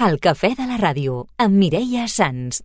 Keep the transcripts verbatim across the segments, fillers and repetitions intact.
El cafè de la ràdio, amb Mireia Sans.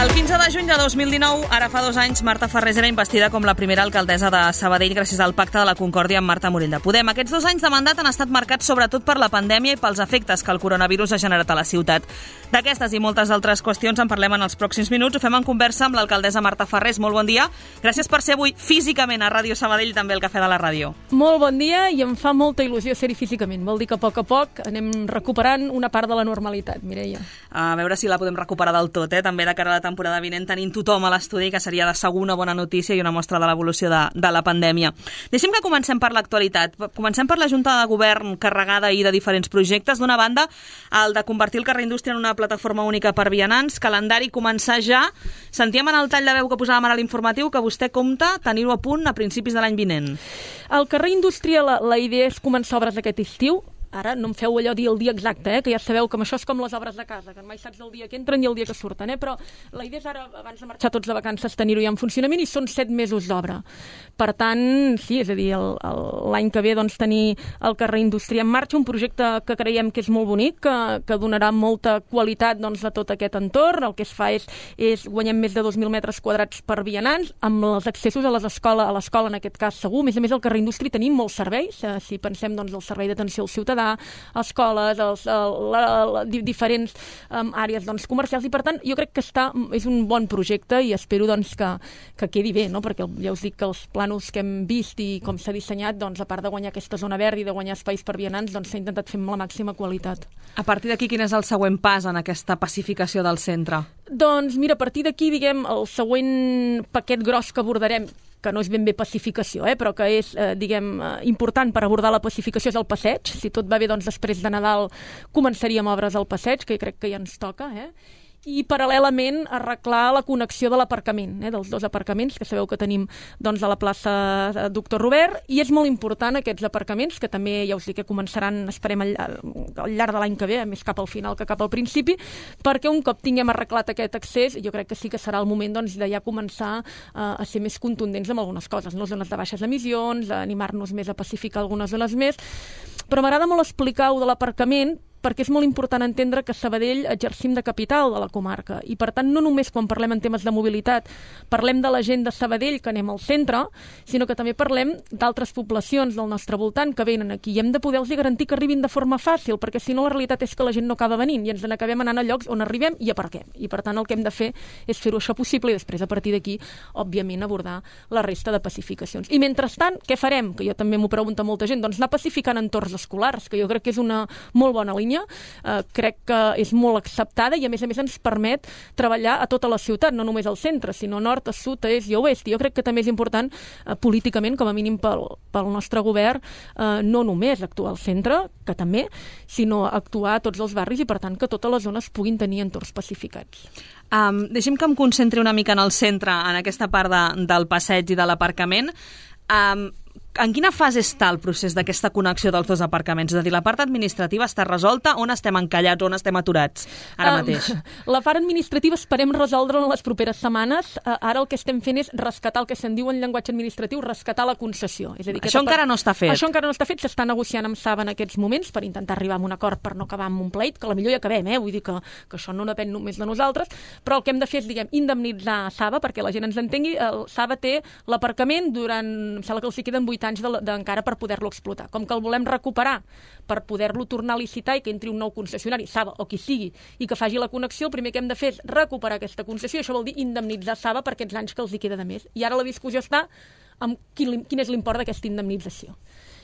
El quinze de juny de dos mil dinou, ara fa dos anys, Marta Farrés era investida com la primera alcaldessa de Sabadell gràcies al Pacte de la Concòrdia amb Marta Morell de Podem. Aquests dos anys de mandat han estat marcats sobretot per la pandèmia i pels efectes que el coronavirus ha generat a la ciutat. D'aquestes i moltes altres qüestions en parlem en els pròxims minuts. Ho fem en conversa amb l'alcaldessa Marta Farrés. Molt bon dia. Gràcies per ser avui físicament a Ràdio Sabadell, també al Cafè de la Ràdio. Molt bon dia i em fa molta il·lusió ser-hi físicament. Vol dir que a poc a poc anem recuperant una part de la normalitat, Mireia. A veure si la podem recuperar del tot, eh? També de cara a la temporada vinent tenint tothom a l'estudi, que seria de segur una bona notícia i una mostra de l'evolució de, de la pandèmia. Deixem que comencem per l'actualitat. Comencem per la Junta de Govern carregada ahir de diferents projectes. D'una banda, el de convertir el carrer Indústria en una plataforma única per vianants, calendari començar ja. Sentíem en el tall de veu que posàvem ara a l'informatiu que vostè compta tenir-ho a punt a principis de l'any vinent. El carrer Indústria, la, la idea és començar obres aquest estiu. Ara no em feu allò dir el dia exacte, eh? Que ja sabeu que això és com les obres de casa, que mai saps el dia que entren i el dia que surten, eh? Però la idea és ara, abans de marxar tots de vacances, tenir-ho ja en funcionament i són set mesos d'obra. Per tant, sí, és a dir, l'any que ve doncs, tenir el carrer Indústria en marxa, un projecte que creiem que és molt bonic, que, que donarà molta qualitat doncs, a tot aquest entorn. El que es fa és, és guanyem més de dos mil metres quadrats per vianants, amb els accessos a les escoles, a l'escola en aquest cas segur. A més a més, al carrer Indústria tenim molts serveis, eh, si pensem doncs, el servei d'atenció al ciutadà, escoles, els, el, la, la, diferents um, àrees doncs, comercials, i per tant jo crec que està, és un bon projecte i espero doncs, que, que quedi bé, no? Perquè ja us dic que els plànols que hem vist i com s'ha dissenyat, doncs, a part de guanyar aquesta zona verda i de guanyar espais per vianants, doncs, s'ha intentat fer amb la màxima qualitat. A partir d'aquí, quin és el següent pas en aquesta pacificació del centre? Doncs mira, a partir d'aquí, diguem, el següent paquet gros que abordarem, que no és ben bé pacificació, eh, però que és, eh, diguem, eh, important per abordar la pacificació, és el passeig. Si tot va bé, doncs després de Nadal començaríem obres al passeig, que crec que ja ens toca, eh? I paral·lelament arreglar la connexió de l'aparcament, eh, dels dos aparcaments que sabeu que tenim doncs, a la plaça Doctor Robert, i és molt important aquests aparcaments, que també ja us dic que començaran, esperem al, al llarg de l'any que ve, més cap al final que cap al principi, perquè un cop tinguem arreglat aquest accés, jo crec que sí que serà el moment doncs, de ja començar eh, a ser més contundents amb algunes coses, no? Zones de baixes emissions, animar-nos més a pacificar algunes zones més, però m'agrada molt explicar-ho de l'aparcament, perquè és molt important entendre que Sabadell exercim de capital de la comarca i, per tant, no només quan parlem en temes de mobilitat parlem de la gent de Sabadell que anem al centre, sinó que també parlem d'altres poblacions del nostre voltant que venen aquí i hem de poder-los garantir que arribin de forma fàcil, perquè si no la realitat és que la gent no acaba venint i ens n'acabem anant a llocs on arribem i aparquem. I, per tant, el que hem de fer és fer-ho això possible i després, a partir d'aquí, òbviament, abordar la resta de pacificacions. I, mentrestant, què farem? Que jo també m'ho pregunta molta gent. Doncs anar pacificant entorns escolars, que jo crec que és una molt bona línia. Uh, crec que és molt acceptada i a més a més ens permet treballar a tota la ciutat, no només al centre, sinó nord, a sud, a est i a oest. Jo crec que també és important uh, políticament, com a mínim pel, pel nostre govern, uh, no només actuar al centre, que també, sinó actuar a tots els barris i per tant que totes les zones puguin tenir entorns pacificats. Um, deixem que em concentri una mica en el centre, en aquesta part de, del passeig i de l'aparcament. Um, En quina fase està el procés d'aquesta connexió dels dos aparcaments? És a dir, la part administrativa està resolta? On estem encallats? On estem aturats ara mateix? Um, la part administrativa esperem resoldre en les properes setmanes. Uh, ara el que estem fent és rescatar el que se'n diu en llenguatge administratiu, rescatar la concessió. És a dir, això encara no està fet. Això encara no està fet, s'està negociant amb Saba en aquests moments per intentar arribar a un acord per no acabar amb un pleit, que a la millor ja acabem, eh? Vull dir que, que això no depèn només de nosaltres, però el que hem de fer és, diguem, indemnitzar Saba, perquè la gent ens entengui. El Saba té l'aparcament durant, em sembla que els hi queden vuit anys de, de, encara per poder-lo explotar. Com que el volem recuperar per poder-lo tornar a licitar i que entri un nou concessionari, Saba o qui sigui, i que faci la connexió, el primer que hem de fer és recuperar aquesta concessió. Això vol dir indemnitzar Saba per aquests anys que els hi queda de més. I ara la discussió està amb quin, quin és l'import d'aquesta indemnització.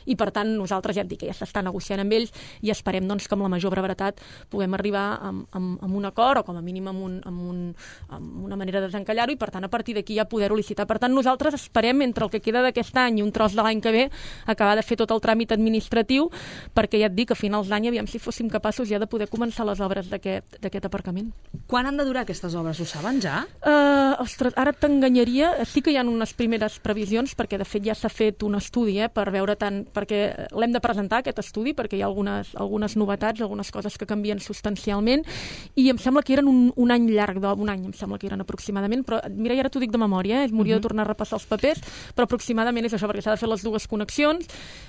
i per tant nosaltres ja et dic que ja s'està negociant amb ells i esperem doncs, que amb la major brevetat puguem arribar amb, amb, amb un acord o com a mínim amb, un, amb, un, amb una manera de desencallar-ho i per tant a partir d'aquí ja poder-ho licitar. Per tant nosaltres esperem entre el que queda d'aquest any i un tros de l'any que ve acabar de fer tot el tràmit administratiu perquè ja et dic a finals d'any aviam si fóssim capaços ja de poder començar les obres d'aquest aparcament. Quan han de durar aquestes obres? Ho saben ja? Uh, ostres, ara t'enganyaria. Sí que hi ha unes primeres previsions perquè de fet ja s'ha fet un estudi eh, per veure tant, perquè l'hem de presentar aquest estudi perquè hi ha algunes, algunes novetats, algunes coses que canvien substancialment i em sembla que eren un, un any llarg, un any em sembla que eren aproximadament, però mira, ja ara t'ho dic de memòria, eh? M'hauria uh -huh. de tornar a repassar els papers, però aproximadament és això, perquè s'ha de fer les dues connexions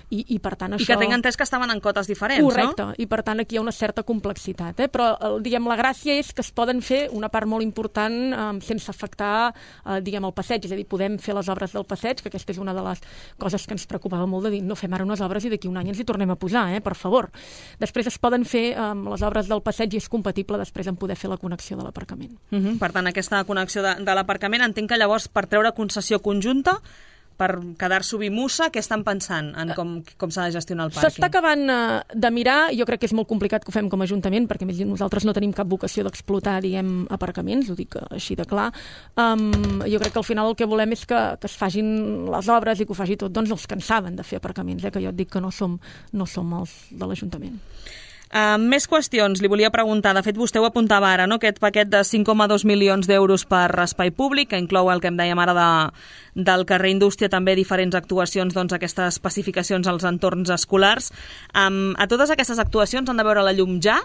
i, i per tant això... I que tinc entès que estaven en cotes diferents, correcte, no? I per tant aquí hi ha una certa complexitat, eh? Però el, diguem, la gràcia és que es poden fer una part molt important eh, sense afectar eh, diguem, el passeig, és a dir, podem fer les obres del passeig, que aquesta és una de les coses que ens preocupava molt de dir, no fem ara unes obres i d'aquí un any ens hi tornem a posar, eh? Per favor. Després es poden fer eh, les obres del passeig i és compatible després en poder fer la connexió de l'aparcament. Uh -huh. Per tant, aquesta connexió de, de l'aparcament, entenc que llavors per treure concessió conjunta, per quedar-s'ho Bimussa, què estan pensant en com, com s'ha de gestionar el pàrquing? S'està acabant uh, de mirar, jo crec que és molt complicat que ho fem com a Ajuntament, perquè més nosaltres no tenim cap vocació d'explotar, diguem, aparcaments, ho dic així de clar. Um, jo crec que al final el que volem és que, que es facin les obres i que ho faci tot, doncs els que en saben de fer aparcaments, eh, que jo et dic que no som, no som els de l'Ajuntament. Uh, més qüestions, li volia preguntar. De fet, vostè ho apuntava ara, no? Aquest paquet de cinc coma dos milions d'euros per espai públic, que inclou el que em dèiem ara de, del carrer Indústria, també diferents actuacions, doncs, aquestes especificacions als entorns escolars. Um, a totes aquestes actuacions han de veure la llum ja?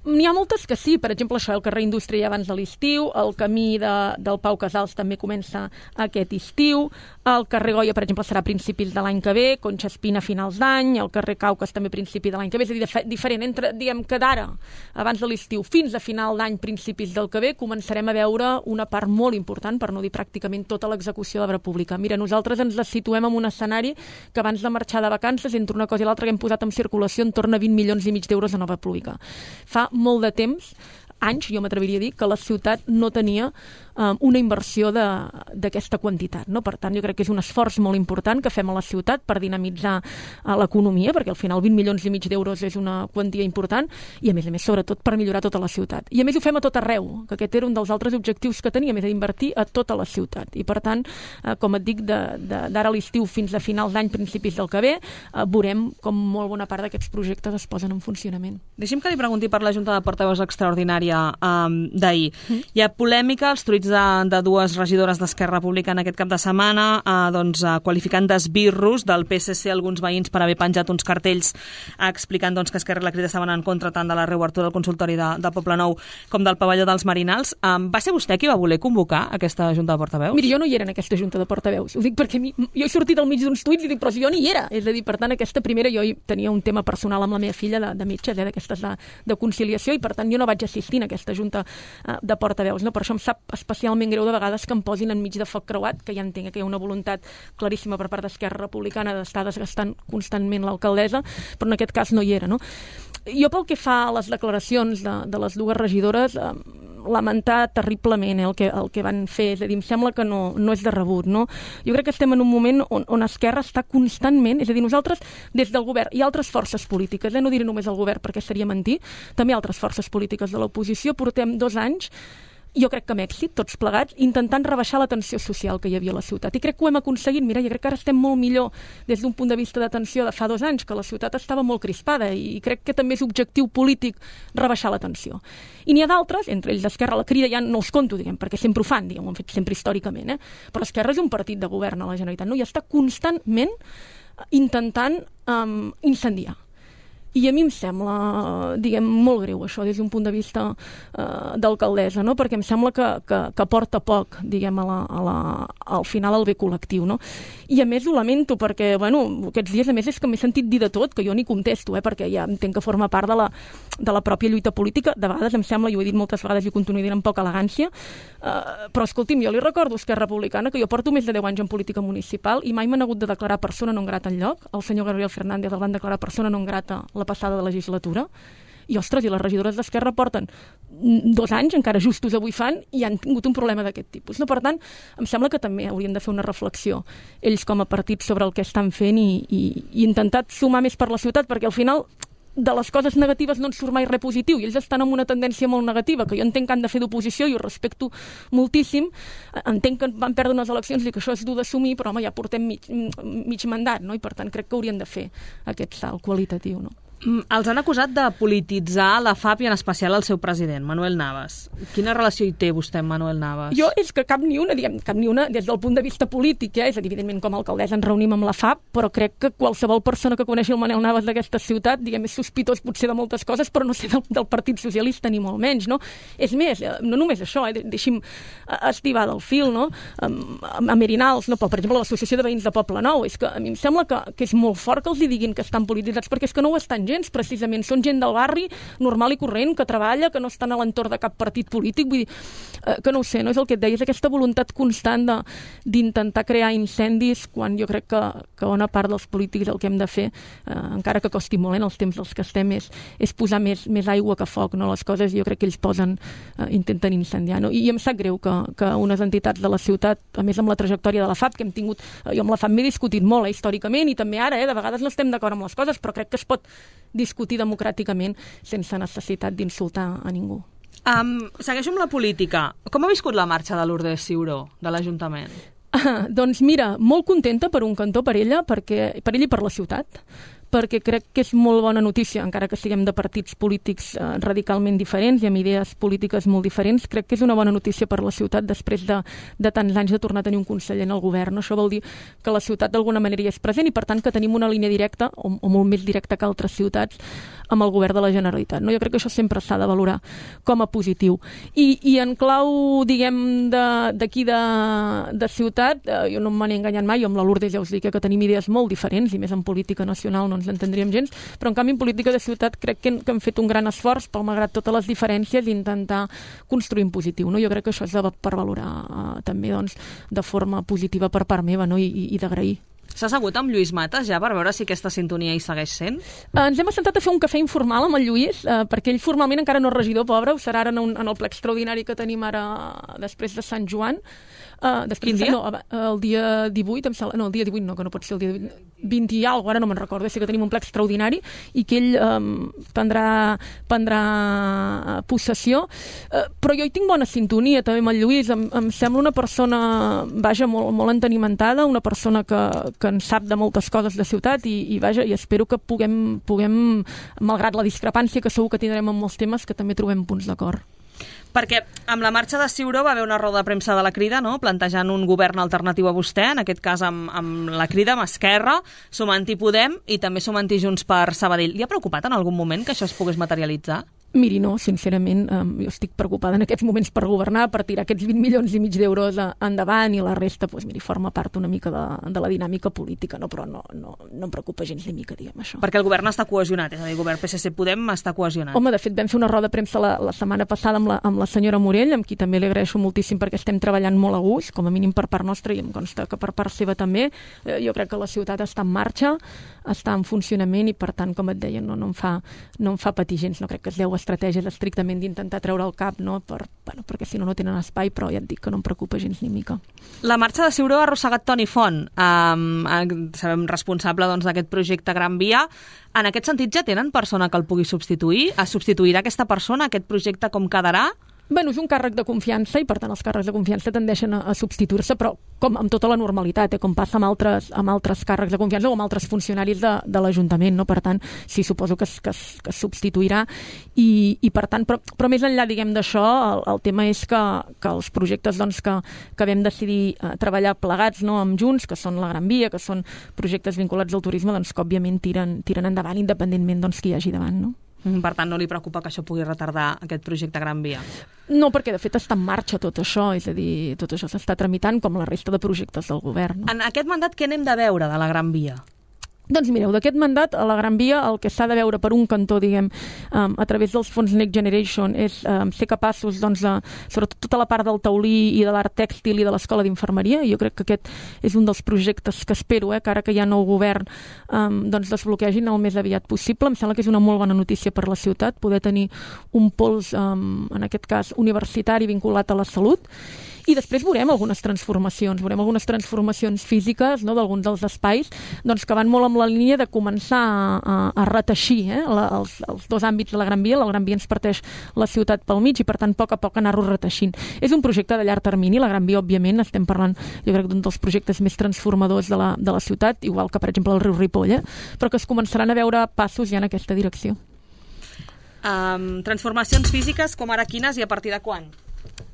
N'hi ha moltes que sí, per exemple, això, el carrer Indústria ja abans de l'estiu, el camí de, del Pau Casals també comença aquest estiu, el carrer Goya, per exemple, serà a principis de l'any que ve, Conxa Espina a finals d'any, el carrer Caucas també a principi de l'any que ve, és a dir, diferent, entre, diguem, que d'ara, abans de l'estiu, fins a final d'any, principis del que ve, començarem a veure una part molt important, per no dir pràcticament tota l'execució d'obra pública. Mira, nosaltres ens la situem en un escenari que abans de marxar de vacances, entre una cosa i l'altra, que hem posat en circulació en torn a vint milions i mig d'euros en obra pública. Fa molt de temps, anys, jo m'atreviria a dir, que la ciutat no tenia um, una inversió d'aquesta quantitat. No? Per tant, jo crec que és un esforç molt important que fem a la ciutat per dinamitzar uh, l'economia, perquè al final vint milions i mig d'euros és una quantia important, i a més a més, sobretot, per millorar tota la ciutat. I a més ho fem a tot arreu, que aquest era un dels altres objectius que teníem, és d'invertir a tota la ciutat. I per tant, uh, com et dic, d'ara a l'estiu fins a finals d'any, principis del que ve, uh, veurem com molt bona part d'aquests projectes es posen en funcionament. Deixi'm que li pregunti per la Junta de Portaveus extraordinària um, d'ahir. Mm. Hi ha polèmica, els tuits de, de dues regidores d'Esquerra Republicana aquest cap de setmana, uh, doncs, uh, qualificant d'esbirros del P S C alguns veïns per haver penjat uns cartells uh, explicant doncs, que Esquerra i la Crida estaven en contra tant de la reobertura del consultori de, de Poblenou com del pavelló dels Marinals. Um, va ser vostè qui va voler convocar aquesta Junta de Portaveus? Miri, jo no hi era en aquesta Junta de Portaveus. Ho dic perquè mi, jo he sortit al mig d'uns tuits i dic, però si jo no hi era. És a dir, per tant, aquesta primera, jo tenia un tema personal amb la meva filla de, de metges, eh, d'aquestes de, de conciliació, i per tant jo no vaig assistir en aquesta Junta uh, de Portaveus. No? Per això em sap especialment greu de vegades que em posin enmig de foc creuat, que ja entenc que hi ha una voluntat claríssima per part d'Esquerra Republicana d'estar desgastant constantment l'alcaldessa, però en aquest cas no hi era. No? Jo pel que fa a les declaracions de, de les dues regidores, eh, lamentar terriblement eh, el, que, el que van fer, és a dir, em sembla que no, no és de rebut. No? Jo crec que estem en un moment on, on Esquerra està constantment, és a dir, nosaltres des del govern i altres forces polítiques, eh, no diré només el govern perquè seria mentir, també altres forces polítiques de l'oposició, portem dos anys, jo crec que amb èxit, tots plegats, intentant rebaixar la tensió social que hi havia a la ciutat. I crec que ho hem aconseguit. Mira, jo crec que ara estem molt millor des d'un punt de vista d'atenció de fa dos anys, que la ciutat estava molt crispada, i crec que també és objectiu polític rebaixar la tensió. I n'hi ha d'altres, entre ells Esquerra, la Crida ja no els conto, diguem, perquè sempre ho fan, diguem, ho han fet sempre històricament, eh? Però Esquerra és un partit de govern a la Generalitat, no? I està constantment intentant um, incendiar. I a mi em sembla, diguem, molt greu això des d'un punt de vista uh, d'alcaldessa, no? Perquè em sembla que, que, que porta poc, diguem, a la, a la, al final al bé col·lectiu, no? I a més ho lamento perquè, bueno, aquests dies a més és que m'he sentit dir de tot, que jo ni contesto, eh? Perquè ja entenc que forma part de la, de la pròpia lluita política. De vegades em sembla, i ho he dit moltes vegades i ho continuo dient amb poca elegància, uh, però escolti'm, jo li recordo a Esquerra Republicana que jo porto més de deu anys en política municipal i mai m'han hagut de declarar persona non grata enlloc. El senyor Gabriel Fernández el van declarar persona non grata la passada de legislatura, i, ostres, i les regidores d'Esquerra porten dos anys, encara justos avui fan, i han tingut un problema d'aquest tipus. No? Per tant, em sembla que també haurien de fer una reflexió ells com a partit sobre el que estan fent i, i, i intentar sumar més per la ciutat, perquè al final de les coses negatives no en surt mai res positiu i ells estan en una tendència molt negativa que jo entenc que han de fer d'oposició i ho respecto moltíssim, entenc que van perdre unes eleccions i que això és dur d'assumir, però home, ja portem mig, mig mandat, no? I per tant crec que haurien de fer aquest salt qualitatiu, no? Els han acusat de polititzar la F A P i en especial el seu president, Manuel Navas. Quina relació hi té vostè amb Manuel Navas? Jo és que cap ni una, diguem, cap ni una des del punt de vista polític, eh? És a dir, evidentment com a alcaldessa ens reunim amb la F A P, però crec que qualsevol persona que coneixi el Manuel Navas d'aquesta ciutat, diguem, és sospitós potser de moltes coses, però no sé del, del Partit Socialista ni molt menys, no? És més, no només això, eh? Deixi'm estivar del fil, no? A Merinals, no? Per exemple, l'Associació de Veïns de Poble Nou, és que a mi em sembla que, que és molt fort que els hi diguin que estan polititzats, perquè és que no ho estan gens, precisament. Són gent del barri normal i corrent, que treballa, que no estan a l'entorn de cap partit polític. Vull dir, eh, que no ho sé, no és el que et deia, és aquesta voluntat constant d'intentar crear incendis quan jo crec que, que bona part dels polítics el que hem de fer, eh, encara que costi molt en els temps dels que estem, és, és posar més, més aigua que foc, no? Les coses jo crec que ells posen, eh, intenten incendiar, no? I, i em sap greu que, que unes entitats de la ciutat, a més amb la trajectòria de la F A P, que hem tingut, eh, jo amb la F A P m'he discutit molt, eh, històricament, i també ara, eh, de vegades no estem d'acord amb les coses, però crec que es pot discutir democràticament sense necessitat d'insultar a ningú. Um, segueixo amb la política. Com ha viscut la marxa de Lourdes Ciuró, de l'Ajuntament? Ah, doncs mira, molt contenta per un cantó per ella, perquè, per ella i per la ciutat, perquè crec que és molt bona notícia, encara que siguem de partits polítics eh, radicalment diferents i amb idees polítiques molt diferents, crec que és una bona notícia per la ciutat després de, de tants anys de tornar a tenir un conseller en el govern. Això vol dir que la ciutat d'alguna manera hi és present i per tant que tenim una línia directa, o, o molt més directa que altres ciutats, amb el govern de la Generalitat. No? Jo crec que això sempre s'ha de valorar com a positiu. I, i en clau, diguem, d'aquí de, de, de ciutat, eh, jo no me n'he enganyat mai, jo amb la Lourdes ja us dic que tenim idees molt diferents, i més en política nacional no ens entendríem gens, però en canvi en política de ciutat crec que, que hem fet un gran esforç, per malgrat totes les diferències, intentar construir en positiu. No? Jo crec que això és de, per valorar eh, també doncs, de forma positiva per part meva, no? I, i, i d'agrair. S'ha assegut amb Lluís Matas ja per veure si aquesta sintonia hi segueix sent? Eh, ens hem assentat a fer un cafè informal amb el Lluís, eh, perquè ell formalment encara no és regidor, pobre, ho serà ara en, un, en el ple extraordinari que tenim ara després de Sant Joan. Uh, després, Quin dia? No, el dia divuit, em sembla, no, el dia divuit no, que no pot ser el dia vint i alguna cosa, ara no me'n recordo, sé que tenim un ple extraordinari i que ell um, prendrà, prendrà possessió, uh, però jo hi tinc bona sintonia també amb el Lluís, em, em sembla una persona, vaja, molt, molt entenimentada, una persona que, que en sap de moltes coses de ciutat i, i vaja, i espero que puguem, puguem, malgrat la discrepància que segur que tindrem en molts temes, que també trobem punts d'acord. Perquè amb la marxa de Ciuró va haver una roda de premsa de la Crida, no?, plantejant un govern alternatiu a vostè, en aquest cas amb, amb la Crida, amb Esquerra, sumant-hi Podem i també sumant-hi Junts per Sabadell. Li ha preocupat en algun moment que això es pogués materialitzar? Miri, no, sincerament, eh, jo estic preocupada en aquests moments per governar, per tirar aquests vint milions i mig d'euros endavant i la resta, doncs, miri, forma part una mica de, de la dinàmica política, no? Però no, no, no em preocupa gens ni mica, diguem, això. Perquè el govern està cohesionat, és a dir, el govern P S C Podem està cohesionat. Home, de fet, vam fer una roda de premsa la, la setmana passada amb la, amb la senyora Morell, amb qui també li agraeixo moltíssim perquè estem treballant molt a gust, com a mínim per part nostra i em consta que per part seva també. Eh, jo crec que la ciutat està en marxa, està en funcionament i, per tant, com et deia, no, no, em, fa, no em fa patir gens, no crec que es deu estratègies estrictament d'intentar treure el cap, no? Per, bueno, perquè si no, no tenen espai, però ja et dic que no em preocupa gens ni mica. La marxa de Ciuró ha arrossegat Toni Font, eh, sabem responsable doncs, d'aquest projecte Gran Via. En aquest sentit, ja tenen persona que el pugui substituir? Es substituirà aquesta persona, aquest projecte com quedarà? Bueno, és un càrrec de confiança i, per tant, els càrrecs de confiança tendeixen a, a substituir-se, però com amb tota la normalitat, eh, com passa amb altres, amb altres càrrecs de confiança o amb altres funcionaris de, de l'Ajuntament, no? Per tant, sí, suposo que es, que es, que es substituirà i, i per tant, però, però més enllà, diguem, d'això, el, el tema és que, que els projectes doncs, que, que vam decidir eh, treballar plegats, no, amb Junts, que són la Gran Via, que són projectes vinculats al turisme, doncs que òbviament tiren, tiren endavant independentment doncs, qui hi hagi davant, no? Per tant, no li preocupa que això pugui retardar aquest projecte Gran Via? No, perquè de fet està en marxa tot això, és a dir, tot això s'està tramitant com la resta de projectes del govern. No? En aquest mandat què n'hem de veure de la Gran Via? Doncs mireu, d'aquest mandat a la Gran Via el que s'ha de veure per un cantó, diguem, um, a través dels fons Next Generation és um, ser capaços, doncs, de, sobretot tota la part del taulí i de l'art tèxtil i de l'escola d'infermeria. Jo crec que aquest és un dels projectes que espero, eh, que ara que hi ha nou govern, um, doncs desbloquegin el més aviat possible. Em sembla que és una molt bona notícia per la ciutat, poder tenir un pols, um, en aquest cas, universitari vinculat a la salut. I després veurem algunes transformacions, veurem algunes transformacions físiques, no, d'alguns dels espais, doncs, que van molt amb la línia de començar a, a, a reteixir eh, la, els, els dos àmbits de la Gran Via. La Gran Via ens parteix la ciutat pel mig i, per tant, a poc a poc anar-ho reteixint. És un projecte de llarg termini. La Gran Via, òbviament, estem parlant, jo crec, d'un dels projectes més transformadors de la, de la ciutat, igual que, per exemple, el riu Ripoll, eh, però que es començaran a veure passos ja en aquesta direcció. Um, transformacions físiques, com ara quines i a partir de quan?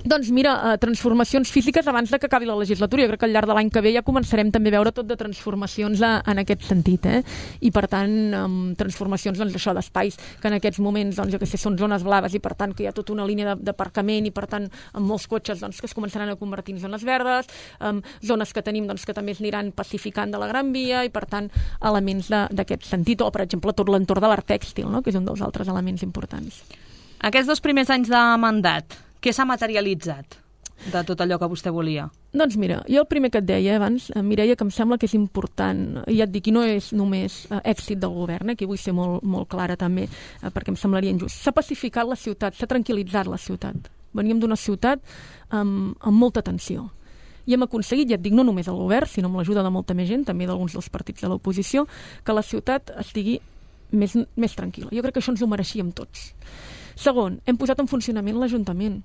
Doncs mira, eh, transformacions físiques abans de que acabi la legislatura. Jo crec que al llarg de l'any que ve ja començarem també a veure tot de transformacions a, en aquest sentit, eh? I per tant, um, transformacions, doncs, això d'espais que en aquests moments, doncs, jo què sé, són zones blaves i per tant que hi ha tota una línia d'aparcament i per tant amb molts cotxes, doncs, que es començaran a convertir en zones verdes, um, zones que tenim, doncs, que també es aniran pacificant de la Gran Via i per tant elements d'aquest sentit, o per exemple tot l'entorn de l'art tèxtil, no? Que és un dels altres elements importants. Aquests dos primers anys de mandat, què s'ha materialitzat de tot allò que vostè volia? Doncs mira, jo el primer que et deia abans, Mireia, que em sembla que és important, i ja et dic, i no és només eh, èxit del govern, eh, que vull ser molt, molt clara també, eh, perquè em semblaria injust. S'ha pacificat la ciutat, s'ha tranquil·litzat la ciutat. Veníem d'una ciutat amb, amb molta tensió. I hem aconseguit, ja et dic, no només el govern, sinó amb l'ajuda de molta més gent, també d'alguns dels partits de l'oposició, que la ciutat estigui més, més tranquil·la. Jo crec que això ens ho mereixíem tots. Segon, hem posat en funcionament l'Ajuntament.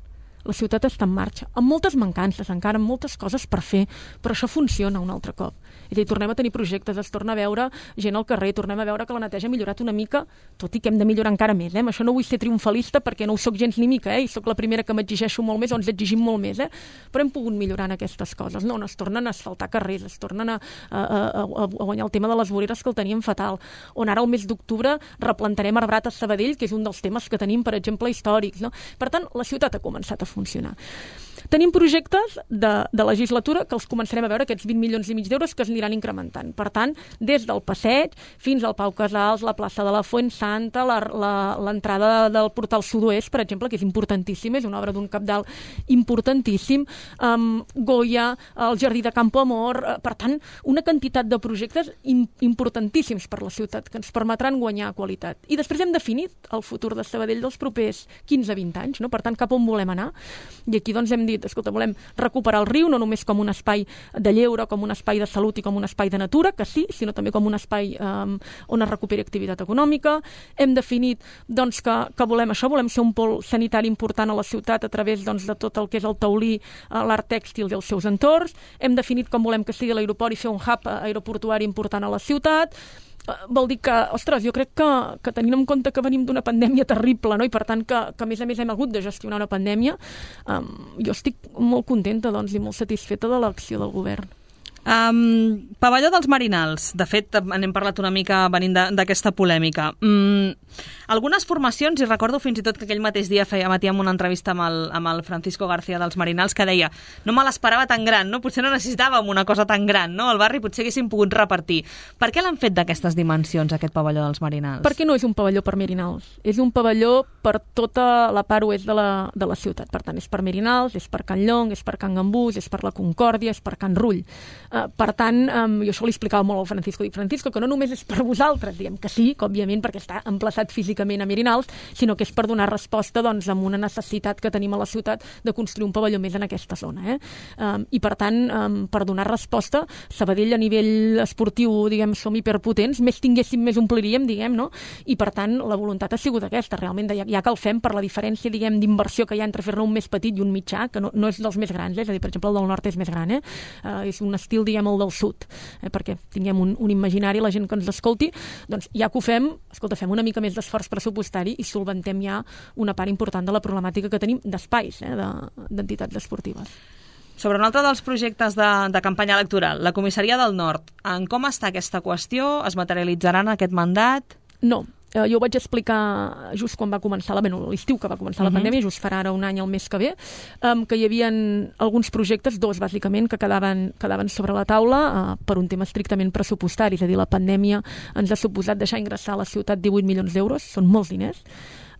La ciutat està en marxa, amb moltes mancances encara, amb moltes coses per fer, però això funciona un altre cop. És a dir, tornem a tenir projectes, es torna a veure gent al carrer, tornem a veure que la neteja ha millorat una mica, tot i que hem de millorar encara més. Eh? Amb això no vull ser triomfalista perquè no ho soc gens ni mica, eh? I soc la primera que m'exigeixo molt més, o ens exigim molt més, eh? Però hem pogut millorar en aquestes coses. No, no es tornen a asfaltar carrers, es tornen a, a, a, a guanyar el tema de les voreres que el teníem fatal, on ara el mes d'octubre replantarem arbrat a Sabadell, que és un dels temes que tenim, per exemple, històrics. No? Per tant, la ciutat ha començat a funcionar. Tenim projectes de, de legislatura que els començarem a veure, aquests vint milions i mig d'euros que es aniran incrementant. Per tant, des del passeig fins al Pau Casals, la plaça de la Fuensanta, l'entrada del portal sud-oest, per exemple, que és importantíssim, és una obra d'un cabdal importantíssim, um, Goya, el jardí de Campo Amor, uh, per tant, una quantitat de projectes im importantíssims per la ciutat que ens permetran guanyar qualitat. I després hem definit el futur de Sabadell dels propers quinze a vint anys, no? Per tant, cap on volem anar. I aquí doncs hem dit, escolta, volem recuperar el riu, no només com un espai de lleure, com un espai de salut i com un espai de natura, que sí, sinó també com un espai um, on es recuperi activitat econòmica. Hem definit doncs, que, que volem això, volem ser un pol sanitari important a la ciutat a través doncs, de tot el que és el taulí, l'art tèxtil i els seus entorns. Hem definit com volem que sigui l'aeroport i fer un hub aeroportuari important a la ciutat. Vol dir que, ostres, jo crec que, que tenint en compte que venim d'una pandèmia terrible, no? I per tant que, que a més a més hem hagut de gestionar una pandèmia, um, jo estic molt contenta doncs, i molt satisfeta de l'acció del govern. Um, pavelló dels Marinals. De fet, n'hem parlat una mica venint d'aquesta polèmica. Um, algunes formacions, i recordo fins i tot que aquell mateix dia feia matí amb una entrevista amb el, amb el Francisco García dels Marinals, que deia, no me l'esperava tan gran, no? Potser no necessitàvem una cosa tan gran, no? Al barri potser haguéssim pogut repartir. Per què l'han fet d'aquestes dimensions, aquest pavelló dels Marinals? Perquè no és un pavelló per Marinals. És un pavelló per tota la part oest de la, de la ciutat. Per tant, és per Marinals, és per Can Llong, és per Can Gambús, és per la Concòrdia, és per Can Rull. Uh, per tant, um, jo això li explicava molt al Francisco. Dic, Francisco, que no només és per vosaltres, diguem que sí, que òbviament perquè està emplaçat físicament a Marinals, sinó que és per donar resposta doncs, a una necessitat que tenim a la ciutat de construir un pavelló més en aquesta zona. Eh? Um, I per tant, um, per donar resposta, Sabadell a nivell esportiu, diguem, som hiperpotents, més tinguéssim, més ompliríem, diguem, no? I per tant, la voluntat ha sigut aquesta, realment, de, ja, ja que el fem per la diferència, diguem, d'inversió que hi ha entre fer-ne un més petit i un mitjà, que no, no és dels més grans, eh? És a dir, per exemple, el del nord és més gran, eh? Uh, és un estil, diguem, el del sud, eh? Perquè tinguem un, un imaginari, la gent que ens escolti, doncs ja que ho fem, escolta, fem una mica més d'esforç pressupostari i solventem ja una part important de la problemàtica que tenim d'espais, eh? d'entitats esportives. Sobre un altre dels projectes de, de campanya electoral, la comissaria del Nord, en com està aquesta qüestió? Es materialitzarà en aquest mandat? No. eh, jo ho vaig explicar just quan va començar, la, bueno, l'estiu que va començar la uh-huh. pandèmia, just farà ara un any el mes que ve, um, que hi havia alguns projectes, dos bàsicament, que quedaven, quedaven sobre la taula uh, per un tema estrictament pressupostari, és a dir, la pandèmia ens ha suposat deixar ingressar a la ciutat divuit milions d'euros, són molts diners,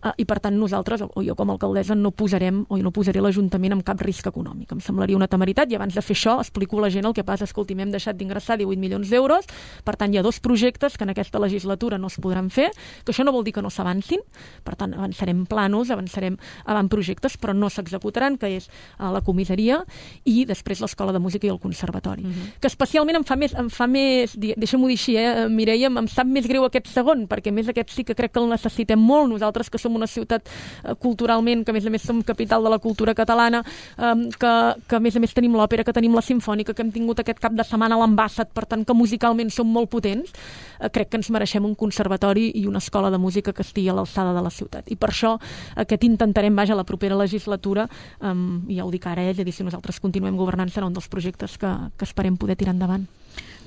Uh, i per tant nosaltres, o jo com a alcaldessa, no posarem o no posaré l'Ajuntament amb cap risc econòmic. Em semblaria una temeritat i abans de fer això explico a la gent el que passa. Escolti, hem deixat d'ingressar divuit milions d'euros, per tant hi ha dos projectes que en aquesta legislatura no es podran fer, que això no vol dir que no s'avancin, per tant avançarem planos, avançarem avant projectes, però no s'executaran, que és uh, la comissaria i després l'Escola de Música i el Conservatori. Uh-huh. Que especialment em fa més, em fa més deixa'm-ho dir així, eh, Mireia, em sap més greu aquest segon, perquè més aquest sí que crec que el necessitem molt, nosaltres que som una ciutat eh, culturalment, que a més a més som capital de la cultura catalana, eh, que, que a més a més tenim l'òpera, que tenim la simfònica, que hem tingut aquest cap de setmana a l'Ambassat, per tant que musicalment som molt potents, eh, crec que ens mereixem un conservatori i una escola de música que estigui a l'alçada de la ciutat. I per això aquest intentarem, vaja, la propera legislatura, eh, i ja ho dic ara, eh, és a dir, si nosaltres continuem governant serà un dels projectes que, que esperem poder tirar endavant.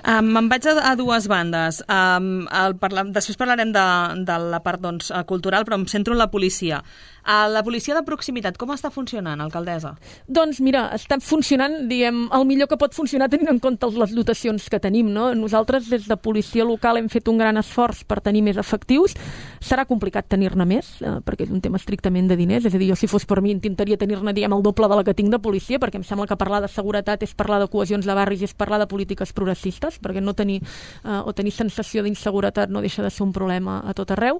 Um, me'n vaig a, a dues bandes. Um, el parla, després parlarem de, de la part doncs, cultural, però em centro en la policia. Uh, la policia de proximitat, com està funcionant, alcaldessa? Doncs mira, està funcionant, diguem, el millor que pot funcionar tenint en compte les dotacions que tenim, no? Nosaltres des de policia local hem fet un gran esforç per tenir més efectius. Serà complicat tenir-ne més, eh, perquè és un tema estrictament de diners, és a dir, jo si fos per mi intentaria tenir-ne, diguem, el doble de la que tinc de policia, perquè em sembla que parlar de seguretat és parlar de cohesions de barris i és parlar de polítiques progressistes, perquè no tenir, eh, o tenir sensació d'inseguretat no deixa de ser un problema a tot arreu,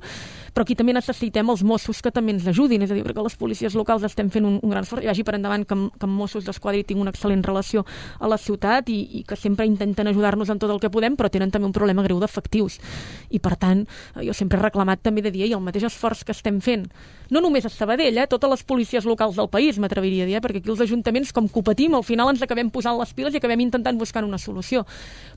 però aquí també necessitem els Mossos que també ens ajudin, és a dir, perquè les policies locals estem fent un, un gran esforç, i vagi per endavant que amb, que amb Mossos d'Esquadra tinc una excel·lent relació a la ciutat i, i que sempre intenten ajudar-nos en tot el que podem, però tenen també un problema greu d'efectius, i per tant jo sempre he reclamat també de dir, i el mateix esforç que estem fent, no només a Sabadell, eh, totes les policies locals del país, m'atreviria a dir, eh, perquè aquí els ajuntaments, com competim, al final ens acabem posant les piles i acabem intentant buscar una solució,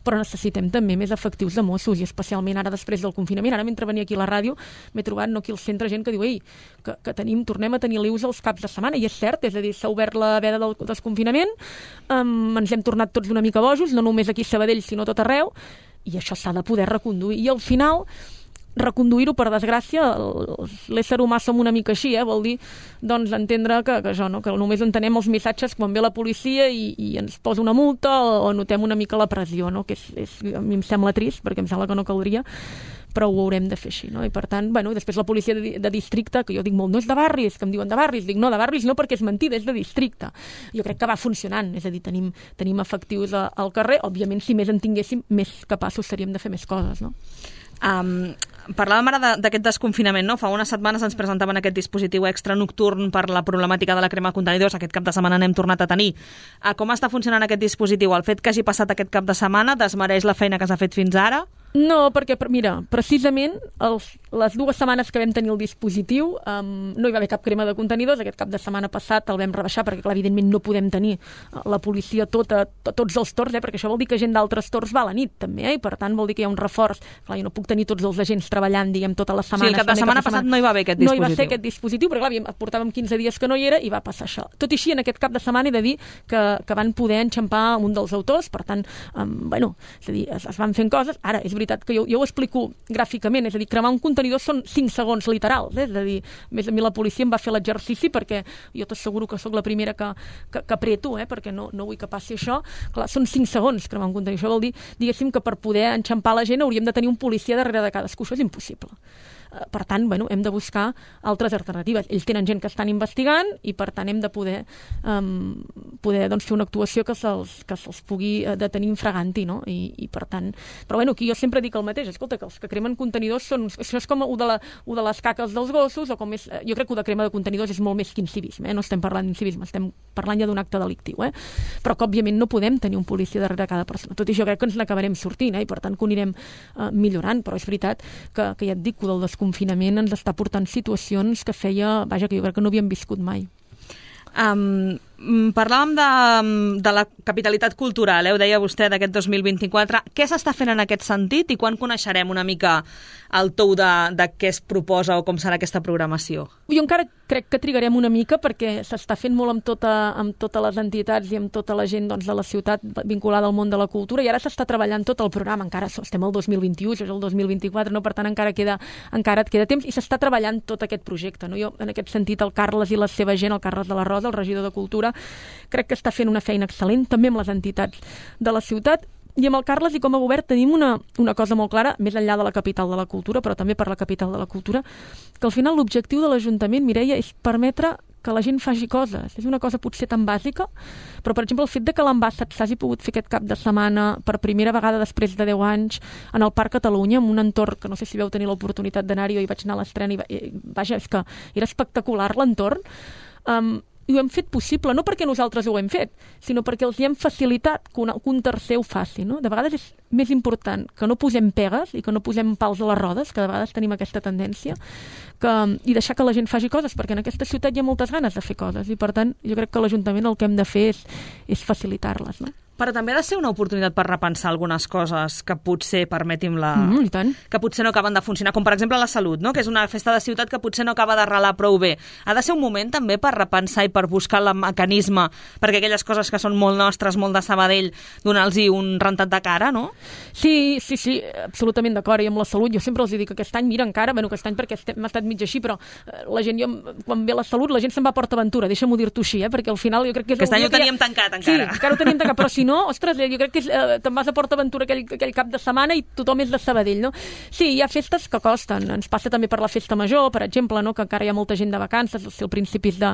però necessitem també més efectius de Mossos, i especialment ara després del confinament. Ara mentre venia aquí a la ràdio m'he trobat no, aquí al centre gent que diu, ei, que, que tenim, tornem a tenir l'I U S els caps de setmana, i és cert, és a dir, s'ha obert la veda del desconfinament, um, ens hem tornat tots una mica bojos, no només aquí a Sabadell sinó a tot arreu, i això s'ha de poder reconduir, i al final reconduir-ho, per desgràcia, l'ésser humà som una mica així, eh? Vol dir doncs entendre que, que, això, no? Que només entenem els missatges quan ve la policia i, i ens posa una multa o, o notem una mica la pressió, no? Que és, és, a mi em sembla trist, perquè em sembla que no caldria, però ho haurem de fer així, no? I per tant, bueno, després la policia de, de districte, que jo dic molt, no és de barris, que em diuen de barris, dic no, de barris no, perquè és mentida, és de districte. Jo crec que va funcionant, és a dir, tenim, tenim efectius a, al carrer, òbviament si més en tinguéssim, més capaços seríem de fer més coses, no? Um, parlàvem ara d'aquest desconfinament, no? Fa unes setmanes ens presentaven aquest dispositiu extra nocturn per la problemàtica de la crema de contenidors. Aquest cap de setmana n'hem tornat a tenir. Uh, com està funcionant aquest dispositiu? El fet que hagi passat aquest cap de setmana desmereix la feina que s'ha fet fins ara? No, perquè, mira, precisament els, les dues setmanes que vam tenir el dispositiu um, no hi va haver cap crema de contenidors. Aquest cap de setmana passat el vam rebaixar perquè, clar, evidentment no podem tenir la policia tota, to, tots els torns, eh, perquè això vol dir que gent d'altres torns va a la nit, també, eh, i per tant vol dir que hi ha un reforç. Clar, jo no puc tenir tots els agents treballant, diguem, tota la setmana. Sí, el cap de setmana passat no hi va haver aquest dispositiu. No hi va ser aquest dispositiu, perquè, clar, portàvem quinze dies que no hi era i va passar això. Tot i així, en aquest cap de setmana he de dir que, que van poder enxampar un dels autors, per tant, um, bueno, és a dir, es, es van fent coses. Ara, és veritat que jo, jo ho explico gràficament, és a dir, cremar un contenidor són cinc segons literals, eh? És a dir, més a mi la policia em va fer l'exercici perquè jo t'asseguro que sóc la primera que, que, que apreto, eh? Perquè no, no vull que passi això. Clar, són cinc segons cremar un contenidor. Això vol dir, diguéssim, que per poder enxampar la gent hauríem de tenir un policia darrere de cadascú. Això és impossible. Per tant, bueno, hem de buscar altres alternatives. Ells tenen gent que estan investigant i, per tant, hem de poder, um, poder doncs, fer una actuació que se'ls, que se'ls pugui detenir infraganti, no? I, i per tant... Però, bueno, aquí jo sempre dic el mateix. Escolta, que els que cremen contenidors són... Això és com u de, la, u de les caques dels gossos, o com és... Jo crec que u de crema de contenidors és molt més que incivisme, eh? No estem parlant d'incivisme, estem parlant ja d'un acte delictiu, eh? Però que, òbviament, no podem tenir un policia darrere cada persona. Tot i això crec que ens n'acabarem sortint, eh? I, per tant, que ho anirem uh, millorant. Però és veritat que, que ja et dic que del confinament ens està portant situacions que feia, vaja, que jo crec que no havíem viscut mai. Um, Parlàvem de, de la capitalitat cultural, eh? Ho deia vostè, d'aquest dos mil vint-i-quatre. Què s'està fent en aquest sentit i quan coneixerem una mica el tou de, de què es proposa o com serà aquesta programació? Jo encara crec que trigarem una mica perquè s'està fent molt amb, tota, amb totes les entitats i amb tota la gent doncs, de la ciutat vinculada al món de la cultura i ara s'està treballant tot el programa. Encara estem al dos mil vint-i-u, això és el dos mil vint-i-quatre, no? Per tant encara, queda, encara et queda temps i s'està treballant tot aquest projecte. No? Jo, en aquest sentit, el Carles i la seva gent, el Carles de la Rosa, el regidor de Cultura, crec que està fent una feina excel·lent, també amb les entitats de la ciutat. I amb el Carles i com a govern tenim una, una cosa molt clara, més enllà de la capital de la cultura, però també per la capital de la cultura, que al final l'objectiu de l'Ajuntament, Mireia, és permetre que la gent faci coses. És una cosa potser tan bàsica, però, per exemple, el fet de que l'Ambassat s'hagi pogut fer aquest cap de setmana per primera vegada després de deu anys en el Parc Catalunya, en un entorn que no sé si veu tenir l'oportunitat d'anar-hi, jo hi vaig anar a l'estrena i, vaja, és que era espectacular l'entorn. Um, i ho hem fet possible, no perquè nosaltres ho hem fet, sinó perquè els hi hem facilitat que un, que un tercer ho faci. No? De vegades és més important que no posem pegues i que no posem pals a les rodes, que de vegades tenim aquesta tendència, que, i deixar que la gent faci coses, perquè en aquesta ciutat hi ha moltes ganes de fer coses, i per tant jo crec que l'Ajuntament el que hem de fer és, és facilitar-les. No? Però també ha de ser una oportunitat per repensar algunes coses que potser, permetim-la, mm, i tant. que potser no acaben de funcionar, com per exemple la salut, no? Que és una festa de ciutat que potser no acaba d'arrelar prou bé. Ha de ser un moment també per repensar i per buscar el mecanisme perquè aquelles coses que són molt nostres, molt de Sabadell, donar-los un rentat de cara, no? Sí, sí, sí, absolutament d'acord. I amb la salut, jo sempre els dic que aquest any, mira, encara, bueno, aquest any perquè hem estat mig així, però la gent, jo, quan ve la salut, la gent se'n va a PortAventura, deixa'm-ho dir-t'ho així, eh? Perquè al final jo crec que és... Aquest any ho teníem ja... tancat, encara. Sí, encara ho teníem tancat, però si no, ostres, jo crec que és, eh, te'n vas a PortAventura aquell, aquell cap de setmana i tothom és de Sabadell, no? Sí, hi ha festes que costen. Ens passa també per la festa major, per exemple, no? Que encara hi ha molta gent de vacances, si el principis de,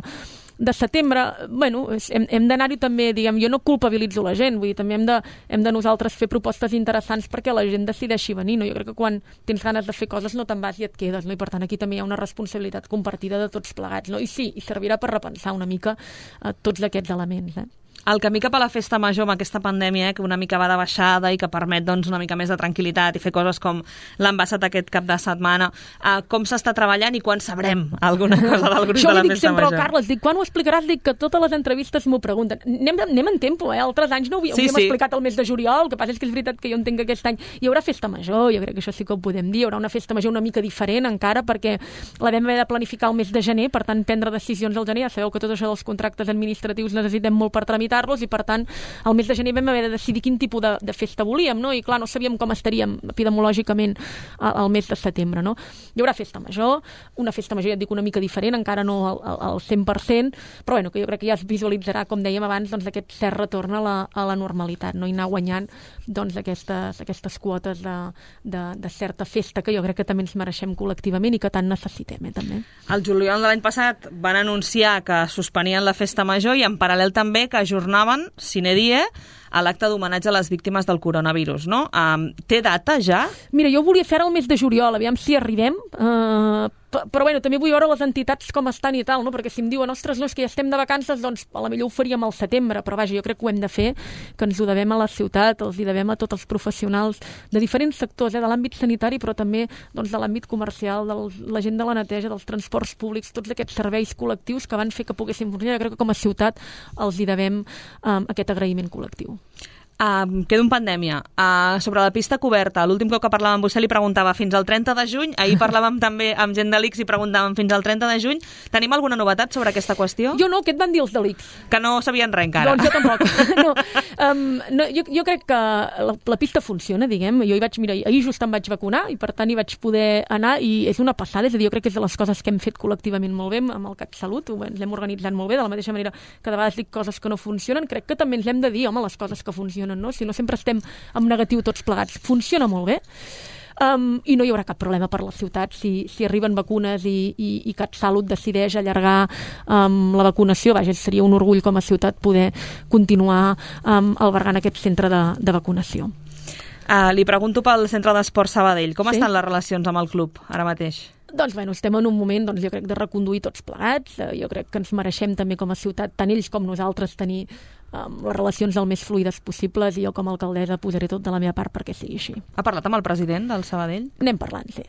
de setembre. Bueno, hem, hem d'anar-hi també, diguem, jo no culpabilitzo la gent, vull dir, també hem de, hem de nosaltres fer propostes interessants perquè la gent decideixi venir, no? Jo crec que quan tens ganes de fer coses no te'n vas i et quedes, no? I per tant aquí també hi ha una responsabilitat compartida de tots plegats, no? I sí, i servirà per repensar una mica eh, tots aquests elements, eh? El camí cap a la festa major amb aquesta pandèmia, eh, que una mica va de baixada i que permet doncs, una mica més de tranquil·litat i fer coses com l'Ambassat aquest cap de setmana, eh, com s'està treballant i quan sabrem alguna cosa del grup de la festa major? Això ho dic sempre al Carles, dic, quan ho explicaràs? Dic que totes les entrevistes m'ho pregunten. Anem, anem en tempo, eh? Altres anys no ho havíem sí, sí. explicat el mes de juliol, el que passa és que és veritat que jo entenc que aquest any hi haurà festa major, jo crec que això sí que ho podem dir, hi haurà una festa major una mica diferent encara, perquè la vam haver de planificar el mes de gener, per tant prendre decisions al gener, ja sabeu que tot això dels contractes administratius necessitem molt per tramitar-los i per tant al mes de gener vam haver de decidir quin tipus de, de festa volíem, no? I clar, no sabíem com estaríem epidemiològicament al mes de setembre, no? Hi haurà festa major, una festa major, ja et dic, una mica diferent, encara no al, al cent per cent, però bueno, que jo crec que ja es visualitzarà, com dèiem abans, doncs aquest cert retorn a la, a la normalitat, no? I anar guanyant doncs aquestes, aquestes quotes de, de, de certa festa que jo crec que també ens mereixem col·lectivament i que tant necessitem, eh, també. El juliol de l'any passat van anunciar que suspenien la festa major i en paral·lel també que ajornaven sine die a l'acte d'homenatge a les víctimes del coronavirus, no? Um, té data ja? Mira, jo volia fer el mes de juliol, aviam si arribem, uh, però bueno, també vull veure les entitats com estan i tal, no? Perquè si em diuen, ostres, no, és que ja estem de vacances, doncs a la millor ho faríem al setembre, però vaja, jo crec que ho hem de fer, que ens ho devem a la ciutat, els hi devem a tots els professionals de diferents sectors, eh, de l'àmbit sanitari, però també doncs, de l'àmbit comercial, de la gent de la neteja, dels transports públics, tots aquests serveis col·lectius que van fer que poguéssim funcionar. Jo crec que com a ciutat els hi devem um, aquest agraïment col·lectiu. Uh, quedo en pandèmia. Uh, sobre la pista coberta, l'últim cop que parlàvem amb vostè li preguntava fins al trenta de juny, ahir parlàvem també amb gent de l'I C S i preguntàvem fins al trenta de juny. Tenim alguna novetat sobre aquesta qüestió? Jo no, què et van dir els de l'I C S? Que no sabien res encara. Doncs jo tampoc. no, um, no, jo, jo crec que la, la pista funciona, diguem. Jo hi vaig, mira, ahir just em vaig vacunar i per tant hi vaig poder anar i és una passada, és a dir, jo crec que és de les coses que hem fet col·lectivament molt bé amb el CatSalut, ens l'hem organitzat molt bé, de la mateixa manera que de vegades dic coses que no funcionen, crec que també ens hem de dir, home, les coses que funcionen, no? Si no sempre estem en negatiu tots plegats. Funciona molt bé. Um, i no hi haurà cap problema per la ciutat si, si arriben vacunes i, i, i CatSalut decideix allargar um, la vacunació. Vaja, seria un orgull com a ciutat poder continuar um, albergant aquest centre de, de vacunació. Uh, li pregunto pel Centre d'Esport Sabadell. Com sí? estan les relacions amb el club ara mateix? Doncs, bueno, estem en un moment, doncs, jo crec, de reconduir tots plegats. Jo crec que ens mereixem també com a ciutat, tant ells com nosaltres, tenir um, les relacions el més fluides possibles i jo com a alcaldessa posaré tot de la meva part perquè sigui així. Ha parlat amb el president del Sabadell? Anem parlant, sí.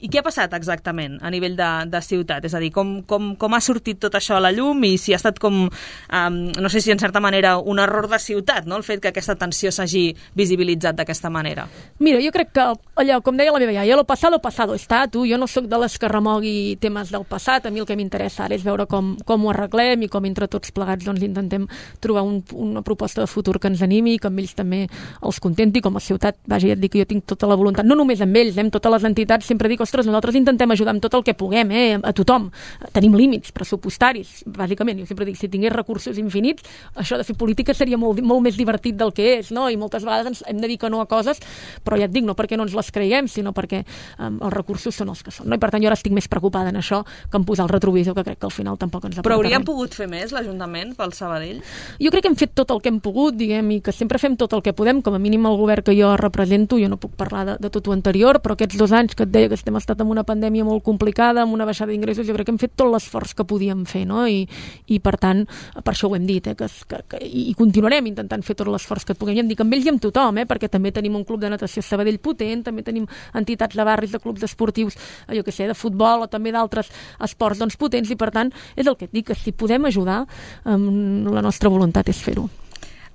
I què ha passat exactament a nivell de, de ciutat? És a dir, com, com, com ha sortit tot això a la llum i si ha estat com, um, no sé si en certa manera un error de ciutat, no?, el fet que aquesta tensió s'hagi visibilitzat d'aquesta manera. Mira, jo crec que allò, com deia la meva iaia, lo pasado, pasado está, tu. Jo no sóc de les que remogui temes del passat, a mi el que m'interessa ara és veure com, com ho arreglem i com entre tots plegats doncs, intentem trobar un, una proposta de futur que ens animi, que amb ells també els contenti, com a ciutat, vaja, ja et dic que jo tinc tota la voluntat, no només amb ells, eh, amb totes les entitats, sempre dic, ostres, nosaltres intentem ajudar amb tot el que puguem, eh, a tothom. Tenim límits pressupostaris, bàsicament, jo sempre dic, si tingués recursos infinits, això de fer política seria molt, molt més divertit del que és, no? I moltes vegades ens hem de dir que no a coses, però ja et dic, no perquè no ens les creiem, sinó perquè um, els recursos són els que són, no? I per tant jo ara estic més preocupada en això que en posar el retrovisor, que crec que al final tampoc ens aporta. Però hauríem pogut fer més, l'Ajuntament, pel Sabadell? Jo crec que hem fet tot el que hem pogut, diguem, i que sempre fem tot el que podem, com a mínim el govern que jo represento, jo no puc parlar de, de tot o anterior, però aquests dos anys que et deia que estem estat en una pandèmia molt complicada, amb una baixada d'ingressos, jo crec que hem fet tot l'esforç que podíem fer, no? I, i per tant, per això ho hem dit, eh, que, que, que, i continuarem intentant fer tot l'esforç que et puguem. I em dic amb ells i amb tothom, eh, perquè també tenim un club de natació Sabadell potent, també tenim entitats de barris, de clubs esportius, jo què sé, de futbol o també d'altres esports doncs, potents, i per tant, és el que et dic, que si podem ajudar, um, la nostra voluntat és fer-ho.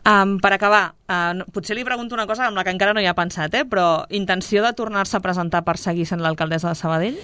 Um, per acabar, uh, potser li pregunto una cosa amb la que encara no hi ha pensat, eh? Però intenció de tornar-se a presentar per seguir sent l'alcaldessa de Sabadell?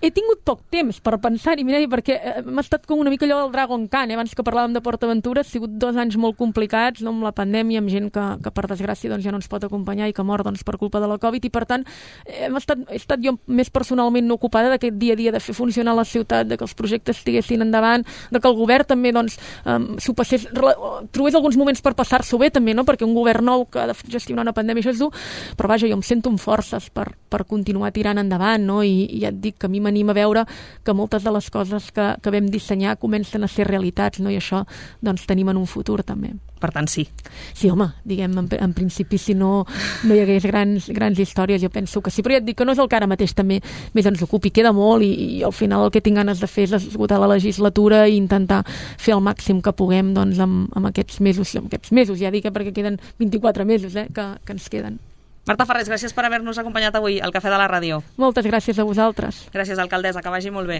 He tingut poc temps per pensar-hi, mira, perquè m'ha estat com una mica allò del Dragon Khan, eh? Abans que parlàvem de PortAventura, ha sigut dos anys molt complicats, no?, amb la pandèmia, amb gent que, que per desgràcia doncs, ja no ens pot acompanyar i que mor doncs, per culpa de la Covid, i per tant hem estat, he estat jo més personalment no ocupada d'aquest dia a dia, de fer funcionar la ciutat, de que els projectes estiguessin endavant, de que el govern també doncs, um, s'ho passés, trobés alguns moments per passar-s'ho bé també, no?, perquè un govern nou que ha de gestionar una pandèmia això és dur, però vaja, jo em sento amb forces per, per continuar tirant endavant, no?, i, i ja et dic que a mi m'anima a veure que moltes de les coses que, que vam dissenyar comencen a ser realitats, no? I això doncs tenim en un futur també. Per tant, sí. Sí, home, diguem, en, en principi si no, no hi hagués grans, grans històries, jo penso que sí, però ja et dic que no és el que ara mateix també més ens ocupi, queda molt i, i al final el que tinc ganes de fer és esgotar la legislatura i intentar fer el màxim que puguem doncs, amb, amb aquests mesos, amb aquests mesos, ja dic, eh, perquè queden vint-i-quatre mesos eh, que, que ens queden. Marta Farrés, gràcies per haver-nos acompanyat avui al Cafè de la Ràdio. Moltes gràcies a vosaltres. Gràcies, alcaldessa, que vagi molt bé.